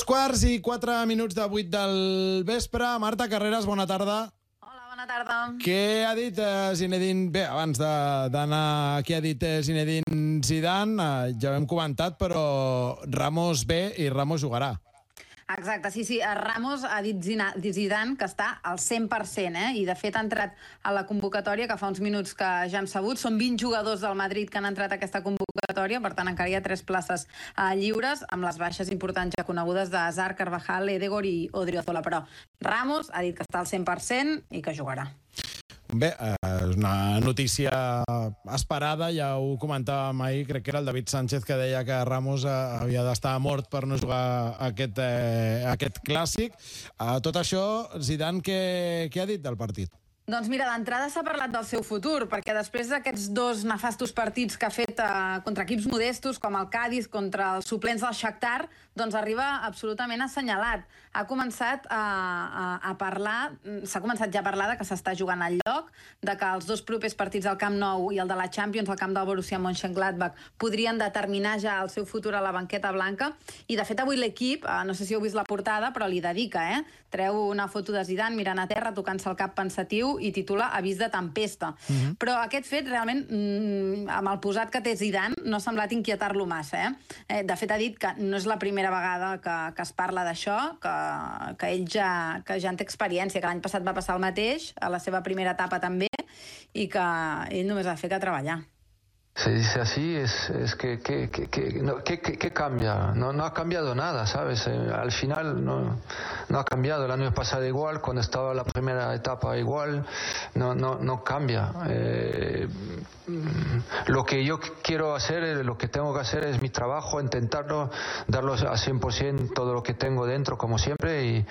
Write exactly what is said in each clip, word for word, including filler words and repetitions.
Dos quarts i quatre minuts de vuit del vespre. Marta Carreras, bona tarda. Hola, bona tarda. Què ha dit eh, Zinedine... Bé, abans d'anar... Què ha dit eh, Zinedine Zidane? Eh, ja ho hem comentat, però Ramos ve i Ramos jugarà. Exacte, sí, sí. Ramos ha dit Zidane que està al cent per cent, eh? I de fet ha entrat a la convocatòria, que fa uns minuts que ja hem sabut. Són vint jugadors del Madrid que han entrat a aquesta convocatòria, per tant encara hi ha tres places eh, lliures, amb les baixes importants ja conegudes de Hazard, Carvajal, Edegor i Odriozola. Però Ramos ha dit que està al cent per cent i que jugarà. Bé, és una notícia esperada, ja ho comentàvem ahir, crec que era el David Sánchez que deia que Ramos havia d'estar mort per no jugar aquest, eh, aquest clàssic. Uh, tot això, Zidane, què, què ha dit del partit? Doncs mira, d'entrada s'ha parlat del seu futur, perquè després d'aquests dos nefastos partits que ha fet eh, contra equips modestos, com el Cádiz, contra els suplents del Shakhtar, doncs arriba absolutament assenyalat. Ha començat a, a, a parlar, s'ha començat ja a parlar de que s'està jugant al lloc, de que els dos propers partits al Camp Nou i el de la Champions, al camp del Borussia Mönchengladbach, podrien determinar ja el seu futur a la banqueta blanca, i de fet avui l'equip, eh, no sé si heu vist la portada, però li dedica, eh? Treu una foto de Zidane mirant a terra, tocant-se el cap pensatiu, i titula Avís de tempesta. Uh-huh. Però aquest fet, realment, mm, amb el posat que té Zidane, no ha semblat inquietar-lo massa. Eh? Eh, de fet, ha dit que no és la primera vegada que, que es parla d'això, que, que ell ja, que ja en té experiència, que l'any passat va passar el mateix, a la seva primera etapa també, i que ell només ha de fer que treballar. Se dice así, es, es que, que, que, que, no, que, que, que cambia, no, no ha cambiado nada, ¿sabes? Eh, al final no, no ha cambiado, el año pasado igual, cuando estaba la primera etapa igual, no, no, no cambia. Eh, lo que yo quiero hacer, lo que tengo que hacer es mi trabajo, intentarlo, darlo a cien por ciento todo lo que tengo dentro, como siempre, y,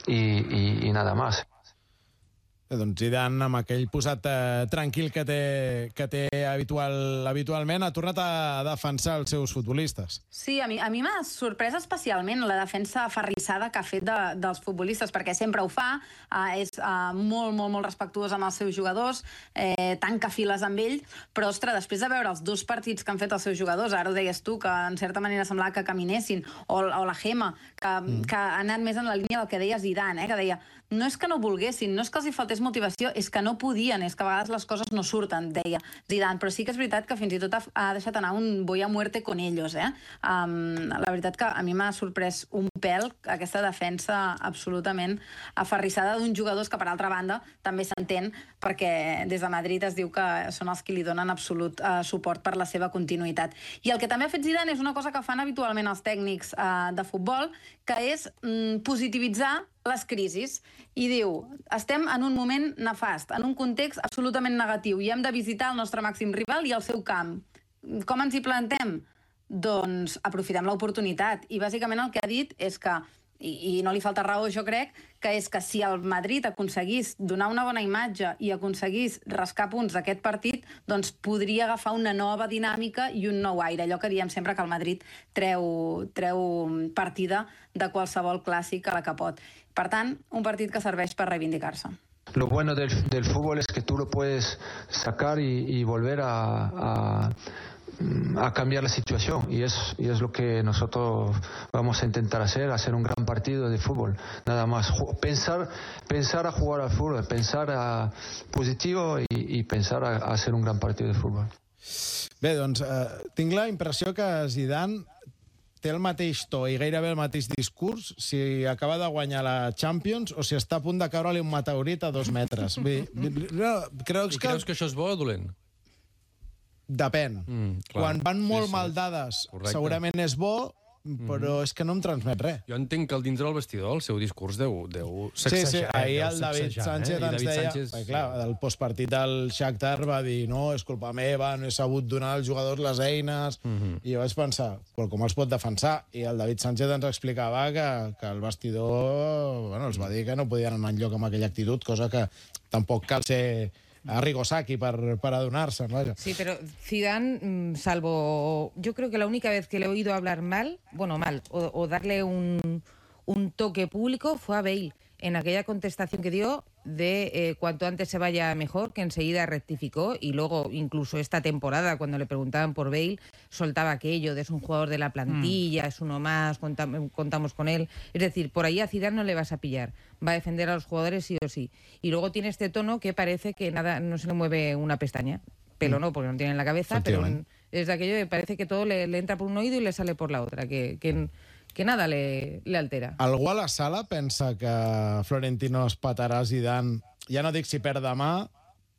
y, y, y nada más. Eh, doncs Zidane, amb aquell posat eh, tranquil que té, que té habitual, habitualment, ha tornat a defensar els seus futbolistes. Sí, a mi, a mi m'ha sorprès especialment la defensa aferrissada que ha fet de, dels futbolistes, perquè sempre ho fa, eh, és eh, molt, molt, molt respectuós amb els seus jugadors, eh, tanca files amb ell, però, ostres, després de veure els dos partits que han fet els seus jugadors, ara ho deies tu, que en certa manera semblava que caminessin, o, o la Gema, que, mm. que ha anat més en la línia del que deia Zidane, eh, que deia, no és que no volguessin, no és que els hi faltés motivació, és que no podien, és que a vegades les coses no surten, deia Zidane, però sí que és veritat que fins i tot ha, ha deixat anar un voy a muerte con ellos, eh? Um, la veritat que a mi m'ha sorprès un pèl aquesta defensa absolutament aferrissada d'uns jugadors que, per altra banda, també s'entén perquè des de Madrid es diu que són els que li donen absolut uh, suport per la seva continuïtat. I el que també ha fet Zidane és una cosa que fan habitualment els tècnics uh, de futbol, que és um, positivitzar les crisis, i diu, estem en un moment nefast, en un context absolutament negatiu, i hem de visitar el nostre màxim rival i el seu camp. Com ens hi plantem? Doncs aprofitem l'oportunitat, i bàsicament el que ha dit és que, i, i no li falta raó, jo crec, que és que si el Madrid aconseguís donar una bona imatge i aconseguís rascar punts d'aquest partit, doncs podria agafar una nova dinàmica i un nou aire, allò que diem sempre que el Madrid treu, treu partida de qualsevol clàssic a la que pot. Per tant, un partit que serveix per reivindicar-se. Lo bueno del, del fútbol es que tú lo puedes sacar y, y volver a... a... a cambiar la situación, y es, y es lo que nosotros vamos a intentar hacer, hacer un gran partido de fútbol, nada más, pensar, pensar a jugar al fútbol, pensar a positivo y, y pensar a, a hacer un gran partido de fútbol. Bé, doncs, eh, tinc la impressió que Zidane té el mateix to i gairebé el mateix discurs si acaba de guanyar la Champions o si està a punt de caure-li un meteorit a dos metres. Bé, no, creus I que... creus que això és bo o dolent? Depèn. Mm, Quan van molt sí, sí. mal dades, correcte, segurament és bo, però mm. és que no em transmet res. Jo entenc que al dintre del vestidor el seu discurs deu, deu Sí, sacsejar. sí, ahir deu el David sacsejar, Sánchez eh? ens David deia... Sánchez, perquè, clar, del postpartit del Shakhtar va dir no, és culpa meva, no he sabut donar als jugadors les eines, mm -hmm. i jo vaig pensar, però com els pot defensar? I el David Sánchez ens explicava que, que el vestidor bueno, els va dir que no podien anar enlloc amb aquella actitud, cosa que tampoc cal ser... a Rigosaki para, para adonarse, vaya. Sí, pero Zidane, salvo... Yo creo que la única vez que le he oído hablar mal, bueno, mal, o, o darle un, un toque público fue a Bale. En aquella contestación que dio, de eh, cuanto antes se vaya mejor, que enseguida rectificó, y luego incluso esta temporada, cuando le preguntaban por Bale, soltaba aquello de es un jugador de la plantilla, mm. es uno más, contam- contamos con él. Es decir, por ahí a Zidane no le vas a pillar, va a defender a los jugadores sí o sí. Y luego tiene este tono que parece que nada, no se le mueve una pestaña. Pelo no, porque no tiene en la cabeza, pero es de aquello que parece que todo le, le entra por un oído y le sale por la otra, que, que, que nada le, le altera. Algú a la sala pensa que Florentino es patarà Zidane, ja no dic si perd demà,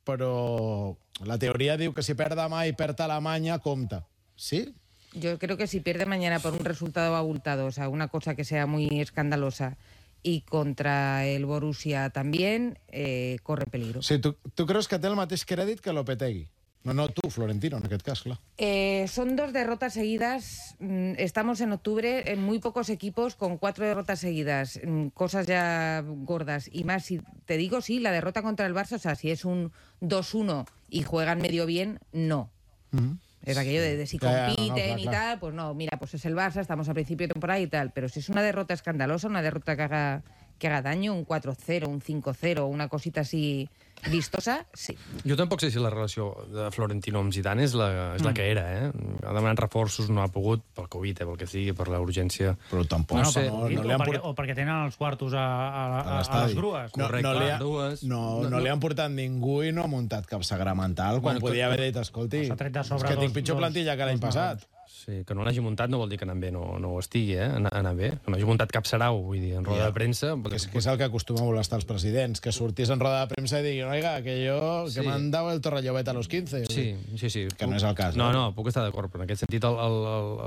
però la teoria diu que si perd demà i perd Alemanya, compta. ¿Sí? Yo creo que si pierde mañana por un resultado abultado, o sea, una cosa que sea muy escandalosa, y contra el Borussia también, eh, corre peligro. Sí, tu, tu creus que té el mateix crèdit que Lopetegui? No, no, tú, Florentino, en aquest cas, clar. Eh, son dos derrotas seguidas. Estamos en octubre, en muy pocos equipos con cuatro derrotas seguidas. Cosas ya gordas. Y más, si te digo, sí, la derrota contra el Barça, o sea, si es un dos uno y juegan medio bien, no. Uh-huh. Es aquello de, de si compiten ya, ya, no, no, claro, y tal, claro. Pues no, mira, pues es el Barça, estamos a principio de temporada y tal. Pero si es una derrota escandalosa, una derrota que haga, que haga daño, un cuatro cero, un cinco cero, una cosita así vistosa, sí. Jo tampoc sé si la relació de Florentino amb Zidane és la, és la mm. que era, eh? Ha demanat reforços, no ha pogut, pel Covid, eh, pel que sigui, per la urgència. Però tampoc. No, no sé, no, no, o, perquè, o perquè tenen els quartos a, a, a, a les grues. No, Correcte, no, li ha, dues. No, no, no li han portat ningú i no ha muntat cap sagramental, quan bueno, podia haver dit, escolti, és que tinc dos, pitjor plantilla que l'any passat. Sí, que no l'hagi muntat no vol dir que anant bé no, no ho estigui, eh? Anar bé. Que no hagi muntat cap sarau, vull dir, en roda ja. de premsa... Que és, que és el que acostuma a molestar els presidents, que sortís en roda de premsa i diguin, oiga, que jo, sí. que m'han dado el Torrellovet a los quince. Sí, sí, sí. Que no és el cas. No, no, puc estar d'acord, però en aquest sentit el, el,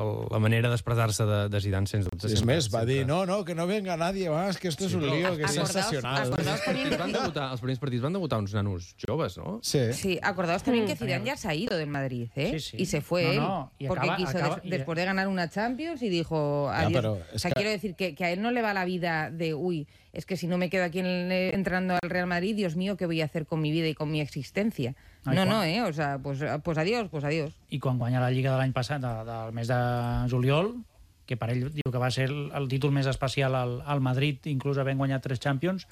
el, la manera d'expressar-se de, de Zidane, sens dubte... Sí, és més, va dir, no, no, que no venga nadie más, que esto sí, es un lío, que és sensacional. Acordaos también van debutar, els primers partits van debutar uns nanos joves, ¿no? Sí. Sí, acordaos también que Zidane ya se ha ido del Madrid, ¿eh? Sí, sí. Y se fue no, no. él, porque acaba, quiso, acaba, des, después de ganar una Champions y dijo adiós. Ya, pero o sea, que... quiero decir que, que a él no le va la vida de, uy, es que si no me quedo aquí en el, entrando al Real Madrid, Dios mío, ¿qué voy a hacer con mi vida y con mi existencia? Ai, no, quan... no, eh? O sea, pues, pues adiós, pues adiós. I quan guanya la Lliga de l'any passat, de, del mes de juliol, que per ell diu que va ser el, el títol més especial al, al Madrid, inclús havent guanyat tres Champions,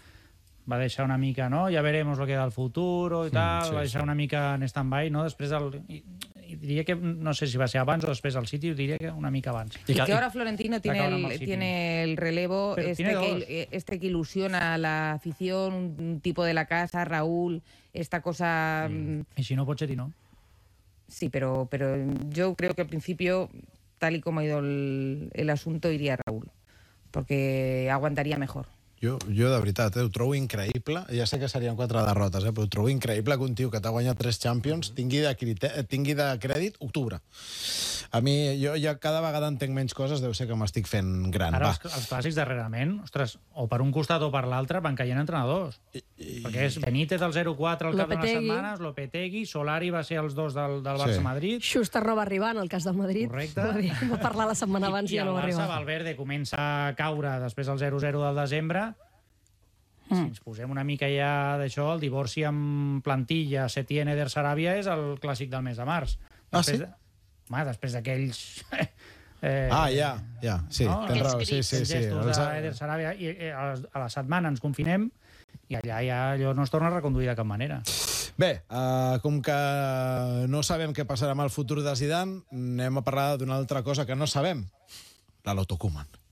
va deixar una mica, no? Ja veremos lo que da el futuro i tal, mm, sí, va deixar sí. una mica en stand-by, no? Després del... I, y diría que, no sé si va a ser abans o después al City, diría que una mica abans. Y que ahora Florentino tiene el, tiene el relevo, este que, este que ilusiona a la afición, un, un tipo de la casa, Raúl, esta cosa... Mm. Y si no, Pochettino. Sí, pero, pero yo creo que al principio, tal y como ha ido el, el asunto, iría Raúl, porque aguantaría mejor. Jo, jo de veritat, eh, ho trobo increïble. Ja sé que serien quatre derrotes, eh, però ho trobo increïble que un tio que t'ha guanyat tres Champions tingui de, crite- tingui de crèdit octubre. A mi, jo ja cada vegada entenc menys coses, deu ser que m'estic fent gran. Ara, els, els clàssics darrerament, ostres, o per un costat o per l'altre, van caient entrenadors. I, i... Perquè és Benítez del zero quatre al cap d'unes setmanes, Lopetegui, Solari va ser els dos del, del Barça-Madrid. Sí. Schuster no va arribar en el cas del Madrid. Correcte. Va, dir, va parlar la setmana abans i, i ja no va arribar. I el Barça, Valverde, comença a caure després del zero zero del desembre. Si ens posem una mica ja d'això, el divorci amb plantilla Setién Eder Sarabia és el clàssic del mes de març. Ah, sí? De... Home, després d'aquells... eh, ah, ja, ja, sí, no? tens raó. Sí, sí, sí. Els Eder Sarabia, i eh, a la setmana ens confinem i allà ja allò no es torna a reconduir de cap manera. Bé, uh, com que no sabem què passarà amb el futur de Zidane, anem a parlar d'una altra cosa que no sabem, la Loto Koeman.